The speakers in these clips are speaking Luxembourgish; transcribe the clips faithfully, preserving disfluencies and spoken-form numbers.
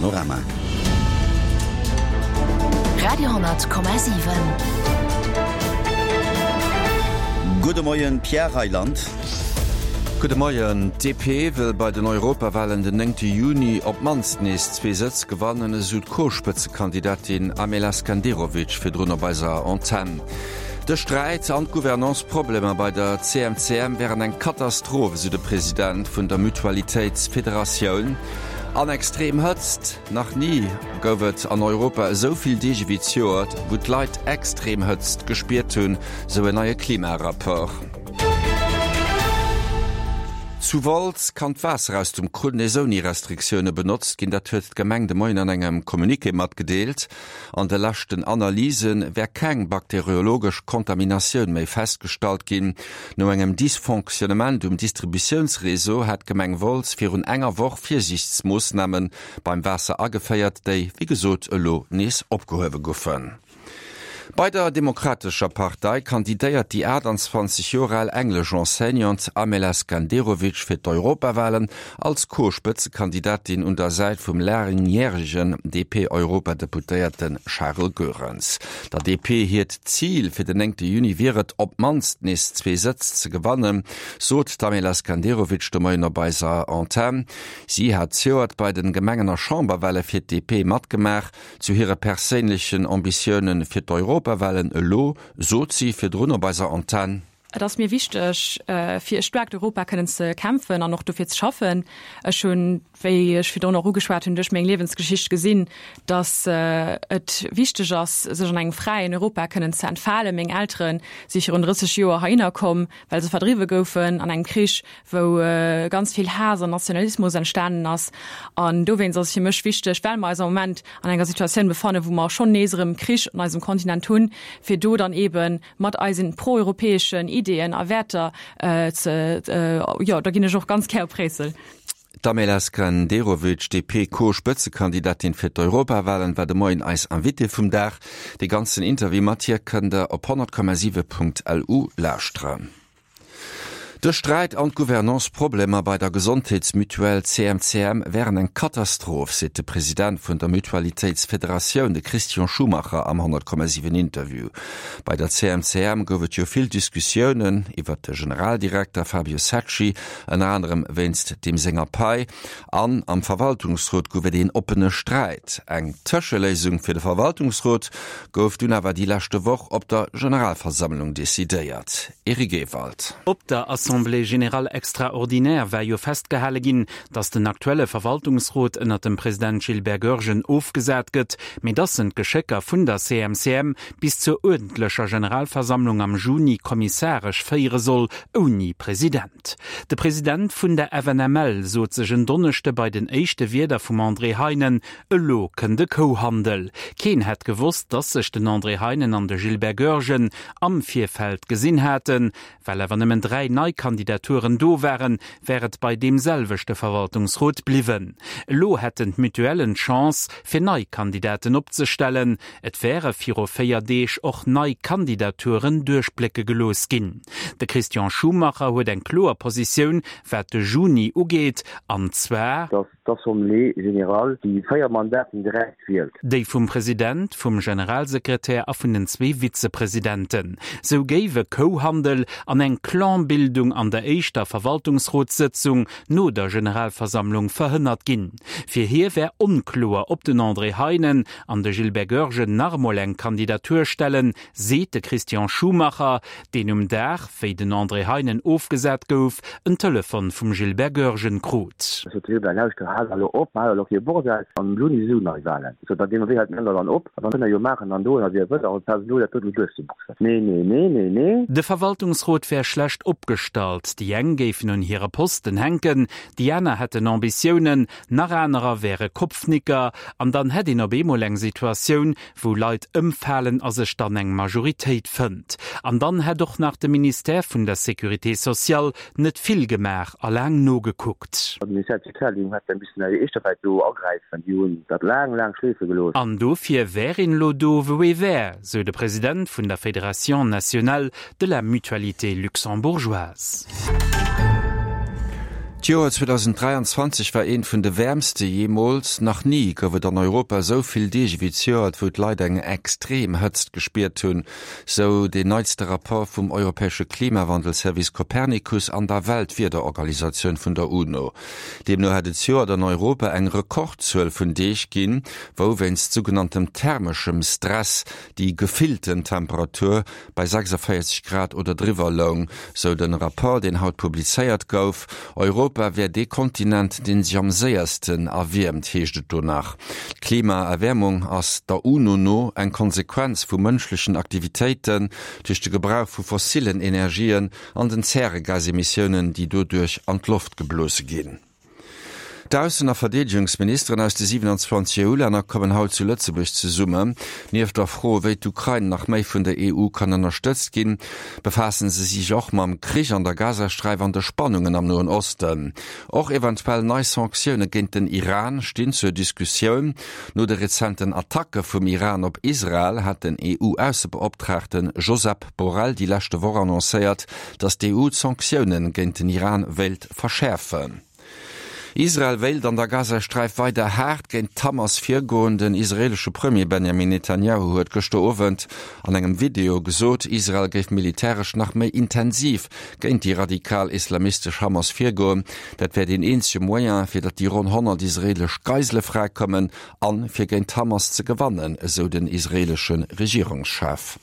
Panorama. Radio honnert Komma siwen. Gudde Moien, Pierre Reyland. Gudde Moien. D P wëll bei den Europawalen den néngte Juni op d'mannst nees zwee Sëtz gewannen, esou d'Co-Spëtzekandidatin Amela Skenderovic virdrun op eiser Antenn. De Sträit an d'Gouvernance-Problemer bei der C M C M wären eng Katastroph, esou de President vun der Mutualitéitsfederatioun. An extrem Hëtzt, Nach ni gouf et an Europa esou vill Deeg ewéi zejoert, wou d'Leit extrem Hëtzt gespiert hunn, sou en neie Klimarapport. Zu Wolz kann d'Waasser aus dem Krunn nees ouni Restriktioune benotzt ginn. Dat huet d'Gemeng de Moien an engem Communiqué matgedeelt. An de leschten Analyse wär keng bakteriologesch Kontaminatioun méi festgestallt ginn. No engem Dysfonctionnement um Distributiounsreseau hat d'Gemeng Wolz virun enger Woch Virsiichtsmoossname beim Waasser ageféiert, déi wéi gesot elo nees opgehuewe goufen. Bei der Demokratescher Partei kandidéiert déi aachtanzwanzeg Joer al englesch Enseignante Amela Skenderovic fir d'Europawalen als Co-Spëtzekandidatin un der Säit vum laangjäregen D P-Europadeputéierte Charles Goerens. Der D P hiert Zil fir den néngte Juni wier et, op d'mannst nees zwee Sëtz ze gewannen, sot d'Amela Skenderovic de Moien op eiser Antenn. Si hat zejoert bei de Gemengen a Chamberwale fir d'D P matgemaach. Zu hire perséinlechen Ambitioune fir d'Europawalen elo sot si virdrun op eiser Antenn: Et ass mir wichteg, fir e staarkt Europa kënnen ze kämpfen an och dofir ze schaffen. Ech hunn, wéi ech virdrun och ugeschwat hunn, duerch meng Liewensgeschicht gesinn, datt et wichteg ass, sech an engem fräien Europa kënnen ze entfalen. Meng Eltere si virun drësseg Joer heihinner komm, well se verdriwwe goufen an engem Krich, wou ganz vill Haass an Nationalismus entstanen ass. An dowéinst ass et fir mech wichteg, well mer eis am Moment an enger Situatioun befannen, wou mer schonn nees erëm Krich an eisem Kontinent hunn, fir do dann eeben mat eisen proeuropäeschen Ideeën a Wäerter ze, jo, da ginn ech och ganz gär op Bréissel. D'Amela Skenderovic, D P-Co-Spëtzekandidatin fir d'Europawalen, war de Moien eis Invitée vum Dag. De ganzen Interview mat hir kënnt der op honnert Komma siwe Punkt L U lauschteren. De Sträit an d'Gouvernance-Problemer bei der Gesondheetsmutuelle C M C M wären eng Katastroph, seet de President vun der Mutualitéitsfederatioun, de Christian Schumacher am honnert Komma siwen Interview. Bei der C M C M gouf et jo vill Diskussiounen iwwer de Generaldirekter Fabio Secci, ënner anerem wéinst deem senger Pai, an am Verwaltungsrot gouf et een oppene Sträit. Eng Tëscheléisung fir de Verwaltungsrot gouf dunn awer déi leschte Woch op der Generalversammlung decidéiert. Eric Ewald. Op der Assemblée générale extraordinaire war jo festgehale ginn, datt den aktuelle Verwaltungsrot ënner dem President Gilbert Goergen ofgesat gëtt, mee datt en d'Geschécker vun der C M C M bis zur uerdentlecher Generalversammlung am Juni kommissaresch féiere soll, ouni President. De President vun der F N M L sot sech en Donneschde bei den éischte Wierder vum André Heinen: Elo kënnt de Kouhandel. Keen hätt gewosst, datt sech den André Heinen an de Gilbert Goergen am Virfeld gesinn haten. Well awer nëmmen dräi nei Kandidaturen do waren, wär et bei deem selwechte Verwaltungsrot bliwwen. Elo hätten d'Mutuellen d'Chance, fir nei Kandidaten opzestellen. Et wäre viru véier Deeg och nei Kandidaturen duerchblécke gelooss ginn. De Christian Schumacher huet eng kloer Positioun, wat de Juni ugeet, an zwar: Dass d'Assemblée générale déi véier Mandaten direkt wielt. Déi vum President, vum Generalsekretär a vun den zwee Vizepresidenten. Sou géif e Kouhandel an eng Clanbildung an der éischter Verwaltungsrotssëtzung no der Generalversammlung verhënnert ginn. Fir hie wär onkloer, ob den André Heinen an de Gilbert Goergen nach emol eng Kandidatur stellen, seet de Christian Schumacher, deen um Dag, wéi den André Heinen ofgesat gouf, en Telefon vum Gilbert Goergen krut. Sot de Gilbert: Lauschter, hal elo op, hal elo kee Bordell, am Juni si sou nei Walen. Sot, da gi mer wéi halt d'Männer dann op, a dann kënnt der jo maachen an doen a wéi der wëllt, awer pass elo dat do duerchzeboxen. Nee, nee, nee, nee, nee. De Verwaltungsrot wär schlecht opgestallt, déi eng géifen un hire Posten hänken, déi aner hätten Ambitiounen, nach anerer wäre Kopfnicker, an dann hätt een op eemol eng Situatioun, wou Leit ëmfalen a sech dann eng Majoritéit fënnt. An dann hätt och nach de Ministère vun der Sécurité sociale net vill gemaach a laang nogekuckt. De Ministère de tutelle, déi hätt e missen déi éischter Welt do agräifen, déi hunn dat laang, laang schleefe gelooss. An dofir wär een elo do, wou ee wär, sou de President vun der Fédération nationale de la mutualité luxembourgeoise. D'Joer zweedausenddräianzwanzeg war eent vun de wäermste jeemools. Nach ni gouf et an Europa esou vill Deeg ewéi zejoert, wou d'Leit eng extrem Hëtzt gespiert hunn, sou deen neitste Rapport vum europäesche Klimawandelservice Copernicus an der Weltwiederorganisatioun vun der UNO. Deemno hätt et zejoert an Europa eng Rekordzuel vun Deeg ginn, wou wéinst sougenanntem thermeschem Stress déi gefillten Temperatur bei sechsundvéierzeg Grad oder driwwer loung, sou de Rapport, deen haut publizéiert gouf. Europa wär dee Kontinent, dee sech am séiersten erwiermt, heescht et do nach. D'Klimaerwäermung ass der UNO no eng Konsequenz vu mënschlechen Aktivitéiten, duerch de Gebrauch vu fossillen Energien an den Zäregasemissiounen, déi doduerch an d'Loft geblose ginn. D'Aussen a Verdeedegungsministeren aus de siewenundzwanzeg EU-Länner kommen haut zu Lëtzebuerg zesummen. Nieft der Fro, wéi d'Ukrain nach méi vun der E U kann ënnerstëtzt ginn, befaassen se sech och mam Krich an der Gazasträif an de Spannungen am Noen Osten. Och eventuell nei Sanktioune géint den Iran stinn zur Diskussioun. No de rezenten Attacke vum Iran op Israel hat den E U-Aussebeoptraagte Josep Borrell déi leschte Woch annoncéiert, datt d'E U d'Sanktioune géint den Iran wéilt verschäerfen. Israel wéilt an der Gazasträif weider haart géint d'Hamas virgoen. Den israeelesche Premier Benjamin Netanjahu huet gëschter Owend an engem Video gesot, Israel géif militäresch nach méi intensiv géint déi radikal islamistesch Hamas virgoen. Dat wär deen eenzege Moyen, fir datt déi ronn honnert israeelesch Geisele fräikommen an fir géint d'Hamas ze gewannen, esou den israeelesche Regierungschef.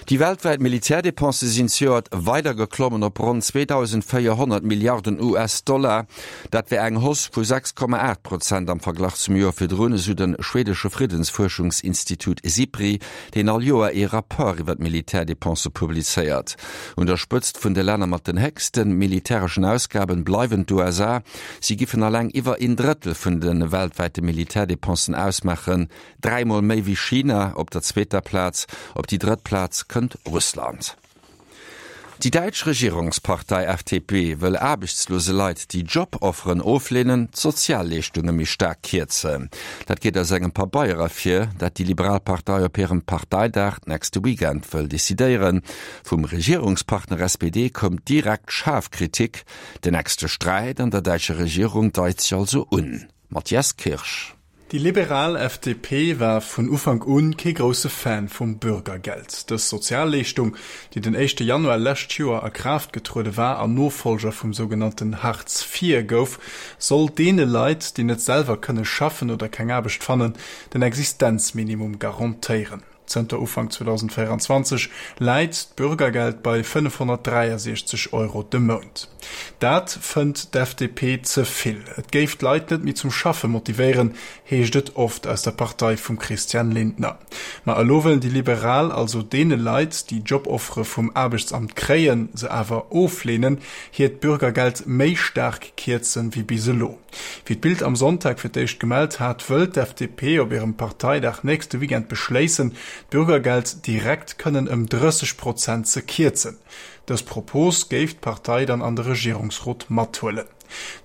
Déi weltwäit Militärdepensë sinn zejoert weider geklommen op ronn zweedausendvéierhonnert Milliarden U S-Dollar. Dat wär eng Hausse vu sechs Komma aacht Prozent am Verglach zum Joer virdrun, esou de schwedesche Friddensfuerschungsinstitut SIPRI, deen all Joer ee Rapport iwwer d'Militärdepensë publizéiert. Un der Spëtzt vun de Länner mat den héchste militäreschen Ausgaben bleiwen d'U S A. Si giffen eleng iwwer een Drëttel vun de weltwäite Militärdepensen ausmaachen, dräimol méi wéi China op der zweeter Plaz. Op déi drëtt Plaz kënnt Russland. Déi däitsch Regierungspartei F D P wëll aarbechtslose Leit, déi Jobofferen ofleenen, d'Sozialleeschtunge méi staark kierzen. Dat geet aus engem Pabeier ervir, dat déi liberal Partei op hirem Parteidag nächste Weekend wëll decidéieren. Vum Regierungspartner S P D koum direkt schaarf Kritik. Den nächste Sträit an der däitscher Regierung deit sech also un. Matthias Kirsch. Déi liberal F D P war vun Ufank un kee grousse Fan vum Bürgergeld. Dës Sozialleeschtung, déi den éischte Januar lescht Joer a Kraaft getruede war an Nofolger vum sougenannten Hartz vier gouf, soll deene Leit, déi net selwer kënne schaffen oder keng Aarbecht fannen, den Existenzminimum garantéieren. Zënter Ufank zweedausendvéieranzwanzeg läit d'Bürgergeld bei fënnefhonnertdräiasechzeg Euro de Mount. Dat fënnt d'F D P ze vill. Et géif d'Leit net méi zum Schaffe motivéieren, heescht et oft aus der Partei vum Christian Lindner. Ma elo wëllen déi Liberal also deene Leit, déi Joboffere vum Aarbechtsamt kréien, se awer ofleenen, hiert d'Bürgergeld méi staark kierzen wéi bis elo. Wéi d'Bild am Sonntag fir d'éischt gemellt hat, wëll d'F D P op hirem Parteidag nächste Weekend beschléissen, d'Bürgergeld direkt kënnen ëm drësseg Prozent ze kierzen. Dës Propos géif d'Partei dann an de Regierungsrot mathuelen.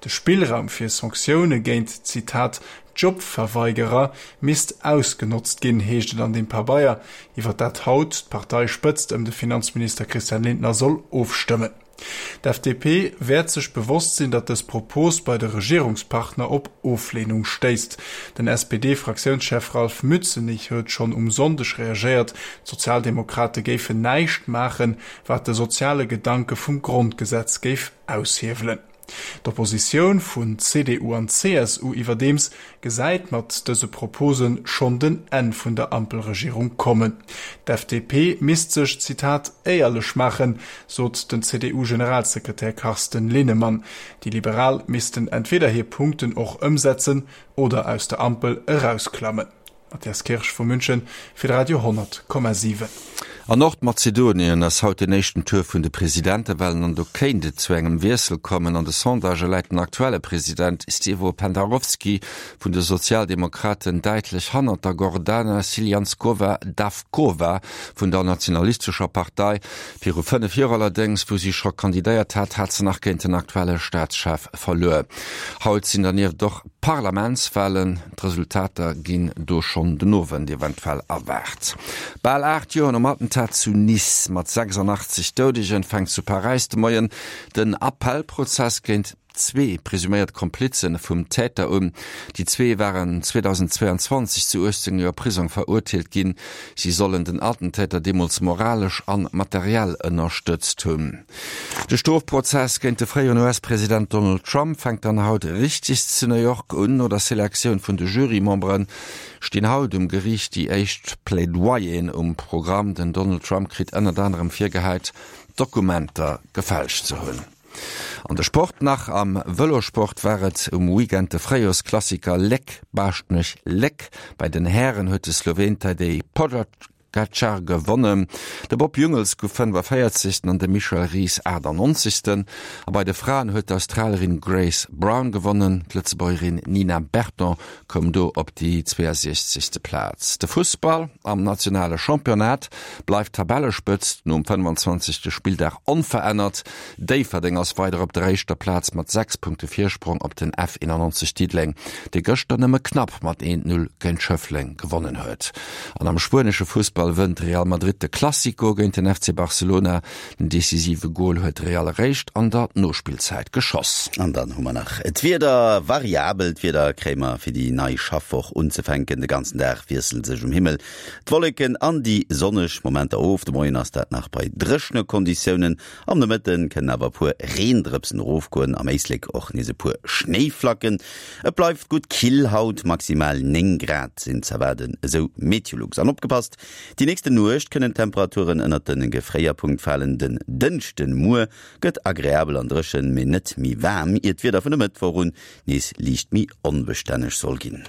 De Spillraum fir Sanktioune géint, Zitat, Jobverweigerer misst ausgenotzt ginn, heescht et an dem Pabeier, iwwer dat haut d'Parteispëtzt ëm de Finanzminister Christian Lindner soll ofstëmmen. D'F D P wäert sech bewosst sinn, datt dës Propos bei de Regierungspartner op Oflehnung stéisst. Den S P D-Fraktiounschef Ralf Mützenich huet schonn um Sonndeg reagéiert, d'Sozialdemokrate géifen näischt maachen, wat de soziale Gedanke vum Grondgesetz géif aushiewelen. D'Oppositioun vun C D U an C S U iwwerdeems gesäit mat dëse Proposen schonn den Enn vun der Ampelregierung kommen. D'F D P misst sech, Zitat, éierlech maachen, sot den C D U-Generalsekretär Carsten Linnemann. Déi Liberal missten entweder hir Punkten och ëmsetzen oder aus der Ampel erausklammen. Matthias Kirsch vu München fir Radio honnert Komma siwen. An Nordmazedonien ass haut den éischten Tour vun de Presidentewahlen an do kéint et zu engem Wiessel kommen. An de Sondage läit den aktuelle President Stevo Pendarovski vun de Sozialdemokraten däitlech hannert der Gordana Siljanskova Davkova vun der Nationalistescher Partei. Viru fënnef Joer allerdéngs, wou si scho kandidéiert hat, hat se nach géint den aktuelle Staatschef verluer. Haut sinn dernieft och Parlamentswahlen. D'Resultater ginn do schonn den Owend eventuell erwaart. Bal aacht Joer nom Attentat zu Nice mat sechsundachtzig Doudegen fänkt zu Paräis de Moien den Appellprozess géint zwee presuméiert Komplize vum Täter un. Déi zwee waren zweedausendzweeanzwanzeg zu uechtzéng Joer Prisong verurteelt ginn. Si sollen den Attentäter deemools moralesch an materiell ënnerstëtzt hunn. De Strofprozess géint de fréieren U S-President Donald Trump fänkt dann haut richteg zu New York un. No der Selektioun vun de Jurymembere stinn haut um Geriicht déi éischt Plaidoyeren um Programm. Den Donald Trump kritt ënnert anerem virgehäit, Dokumenter gefälscht ze hunn. An de Sport nach, Am Vëlosport war et um Weekend de Fréijorsklassiker Léck-Baaschtnech-Léck. Bei den Hären huet de Sloween Tadej Pogacar gewonnen. De Bob Jungels gouf fënnefaféierzegsten an de Michel Ries aachtannonzegsten. A bei de Fraen huet d'Australerin Grace Brown gewonnen. D'Lëtzebuergerin Nina Berton koum do op déi zweeësiechzegste Plaz. De Fussball, Am nationale Championnat bleift d'Tabellespëtzt nom fënnefanzwanzegste Spilldag onverännert. Déifferdeng ass weider op der éischter Plaz mat sechs Punkte Virsprong op den F eenannonzeg Diddeleng, dee gëschter nëmme knapp mat eent Null géint Schëffleng gewonnen huet. An am spuenesche Fussball wënnt Real Madrid de Clasico géint den F C Barcelona. Den decisive Gol huet Real eréischt an der Nospillzäit geschoss. An dann hu mer nach d'Wieder, Variabelt Wieder kréie mer fir déi nei Schaffwoch unzefänken. De ganzen Dag wiessele sech um Himmel d'Wolleken an déi sonneg Momenter of. De Moien ass dat nach bei dréchene Konditiounen, am Nomëtte kënnen awer e puer Reendrëpsen erofgoen, am Éislek och nees e puer Schnéiflacken. Et bleift gutt kill haut, maximal néng Grad sinn z'erwaarden, esou Meteolux. An opgepasst, Déi nächste Nuecht kënnen d'Temperaturen ënnert de Gefréierpunkt falen. Den Dënschden, muer, gëtt agreabel an dréchen, mee net méi waarm, ier d'Wieder vun e Mëttwoch un nees liicht méi onbestänneg soll ginn.